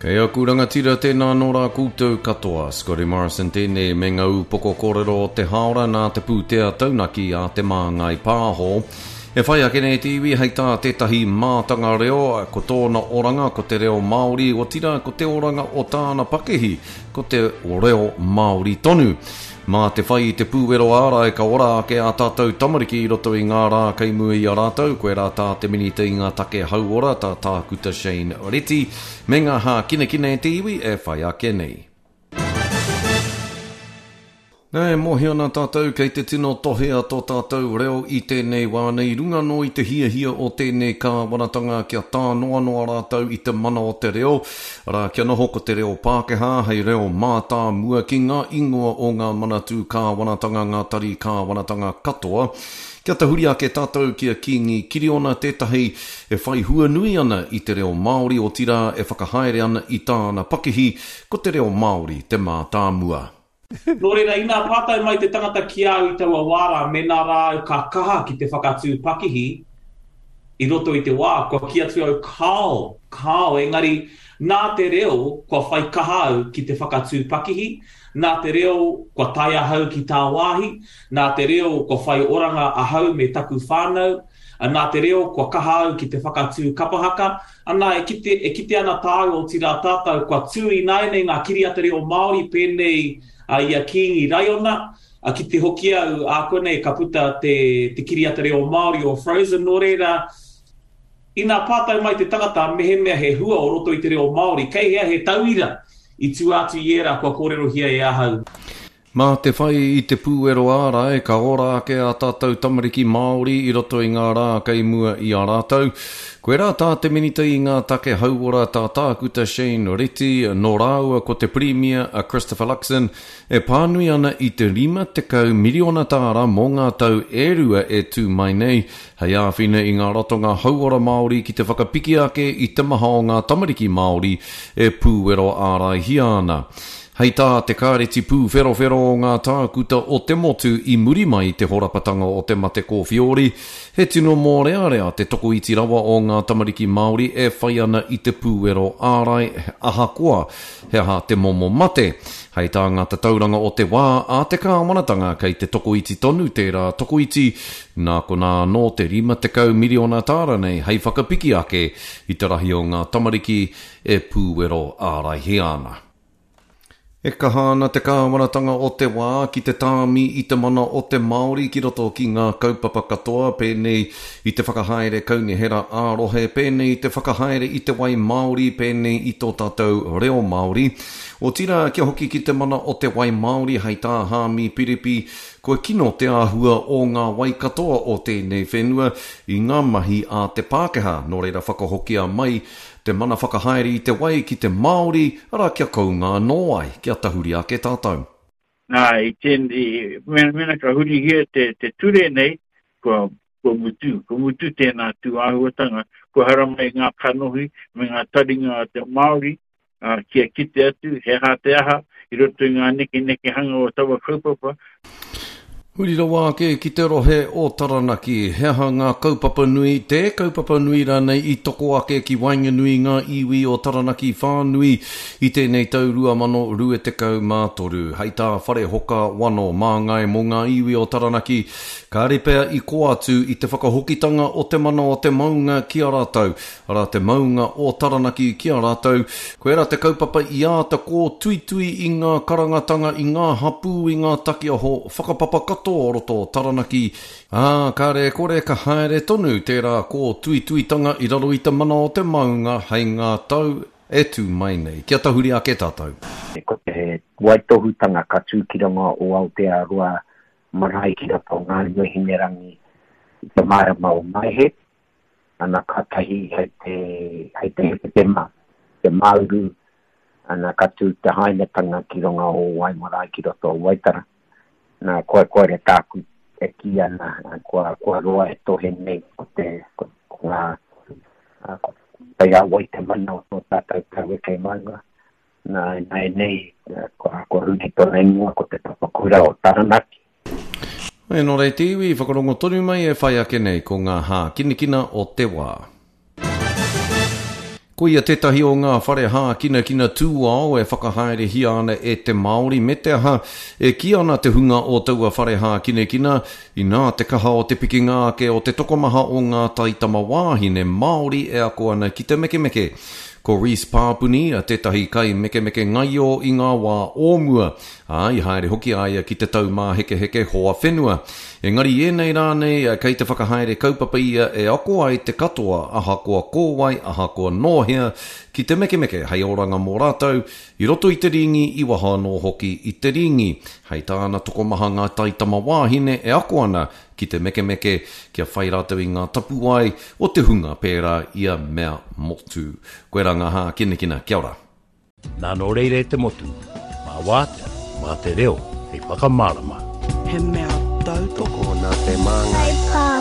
Kei aku rangatira tēnā nō rā koutou katoa. Scotty Morrison tēnei me ngā ūpoko kōrero o te hāora nā te pūtea taunaki a Te Māngai Pāho. E whai ake nei te iwi hei tā tētahi mātanga reo, ko tōna oranga ko te reo Māori, otirā ko te oranga o tāna pakihi ko te reo Māori tonu. Mā te whai i te pūwero ārai ka ora ake ā tātou tamariki i roto i ngā rā kei mua i a rātou, koirā tā te Minita i ngā Take Hauora, tā Tākuta Shane Reti, me ngā hākinakina e te iwi e whai ake nei. Nā, e mōhio ana tātou kei te tino tohea tō tātou reo i tēnei wā nei, runga anō i te hiahia o tēnei kāwanatanga kia tānoanoa rātou i te mana o te reo, arā, kia noho ko te reo Pākehā hei reo mātāmua ki ngā ingoa o ngā manatū kāwanatanga, ngā tari kāwanatanga katoa. Kia tahuri ake tātou ki a Kīngi Kiriona, tētahi e whai hua nui ana i te reo Māori, otirā e whakahaere ana i tāna pakihi, ko te reo Māori te mātāmua. Nō reira, inā pātai mai te tangata ki a au i taua wā rā, mēnā rā au ka kaha ki te whakatū pakihi i roto i te wā, kua kī atu au, kāo, kāo, engari nā te reo kua whai kaha au ki te whakatū pakihi, nā te reo kua tae ahau ki tāwāhi, nā te reo kua whai oranga ahau me taku whānau, nā te reo kua kaha au ki te whakatū kapa haka, Ana, e kite, e kite ana tāua, otirā tātou, kua tū ināianei ngā kiriata reo Māori pēnei i a Kīngi Raiona, ki te hoki au ākuanei ka puta te, te kiriata reo Māori o Frozen, nō reira, inā pātai mai te tangata mehemea he hua o roto i te reo Māori, kei hea he tauira i tua atu i ērā kua kōrerohia e ahau? Mā te whai i te pūero ārai, ka ora ake ā tātou tamariki Māori i roto i ngā rā kei mua i a rātou. Koirā tā te Minita i ngā Take Hauora, tā Tākuta Shane Reti, nō rāua ko te Pirimia a Christopher Luxon, e pānui ana i te 50 miriona tāra mō ngā tau e rua e tū mai nei, hei āwhina i ngā ratonga hauora Māori ki te whakapiki ake i te maha o ngā tamariki Māori e pūwero āraihia ana. Hei tā te Kāreti Pūwherowhero o ngā Tākuta o te motu i muri mai i te horapatanga o te mate kōwhiori, he tino mōrearea te tokoiti rawa o ngā tamariki Māori e whai ana i te pūwero ārai ahakoa he aha te momo mate. Hei tā ngā tatauranga o te wā a te kāwanatanga kei te tokoiti tonu tērā tokoiti, nā konā anō te 50 miriona tāra nei hei whakapiki ake i te rahi o ngā tamariki e pūwero āraihia ana. E kaha ana te kāwanatanga o te wā ki te tāmi i te mana o te Māori ki roto ki ngā kaupapa katoa, pēnei i te whakahaere kaunihera ā-rohe, pēnei i te whakahaere i te wai Māori, pēnei i tō tātou reo Māori. Otirā, kia hoki ki te mana o te wai Māori, hei tā Hāmi Piripi, kua kino te āhua o ngā wai katoa o tēnei whenua i ngā mahi a te Pākehā, nō reira whakahokia mai Te mana whakahaere i te wai ki te Māori, arā kia kounga anō ai, kia tahuri ake tātou. Nā, i tēnei, mēnā ka hurihia te, te ture nei, kua, kua mutu, kua mutu tēnā tū āhuatanga, kua haramai ngā kanohi me ngā taringa a te Māori, ā, kia kite atu he aha te aha i roto i ngā nekenekehanga o taua kaupapa. Huri rawa ake ki te rohe o Taranaki, he aha ngā kaupapa nui, te kaupapa nui rānei i toko ake ki waenganui i ngā iwi o Taranaki whānui i tēnei tau 2023? Hei tā Wharehoka Wano, māngai mō ngā iwi o Taranaki, kāre pea i kō atu i te whakahokitanga o te mana o te maunga ki a rātou, arā te maunga o Taranaki ki a rātou, koirā te kaupapa i āta kōtuitui i ngā karangatanga, i ngā hapū, i ngā takiaho whakapapa katoa o roto o Taranaki, ā, kāre e kore ka haere tonu tērā kōtuituitanga i raro i te mana o te maunga hei ngā tau e tū mai nei. Kia tahuri ake tātou. Ko te waitohutanga ka tū ki runga o Aotearoa marae ki roto o Ngāruahinerangi i te marama o Maehe. ana kātahi hei te, hei te Hepetema, te Māuru, ana ka tū te hainatanga ki runga o Waimarae ki roto o Waitara. Nā, kua, koira tāku e kī ana, kua, kua roa e tohe nei ko te, ko, ko ngā, ko kei a wai te mana o tō tātou taueke maunga. Nā, ināianei, kua, kua huri tōna ingoa ko te Papakura o Taranaki. E nō reira te iwi, whakarongo tonu mai e whai ake nei ko ngā hākinakina o te wā. Koia tētahi o ngā whare hākinakina tūao e whakahaerehia ana e te Māori me te aha, e kī ana te hunga o taua whare hākinakina, inā te kaha o te pikinga ake o te tokomaha o ngā taitamawāhine Māori e ako ana ki te mekemeke. Ko Reece Pāpuni tētahi kaimekemeke ngaio i ngā wā o mua, ā, i haere hoki a ia ki te Taumāhekeheke Hoa Whenua. Engari i ēnei rā nei, kei te whakahaere kaupapa ia e ako ai te katoa, ahakoa ko wai, ahakoa nō hea, ki te mekemeke hei oranga mō rātou, i roto i te rīngi, i waho anō hoki i te rīngi. Hei tāna, tokomaha ngā taitamawāhine e ako ana ki te mekemeke, kia whai rātou i ngā tapuwae o te hunga pērā i a Mea Motu. Koirā ngā hākinakina. Kia ora. Nā nō reira e te motu, mā wātea, mā te reo hei whakamārama. He mea tautoko. Tokona te māngai.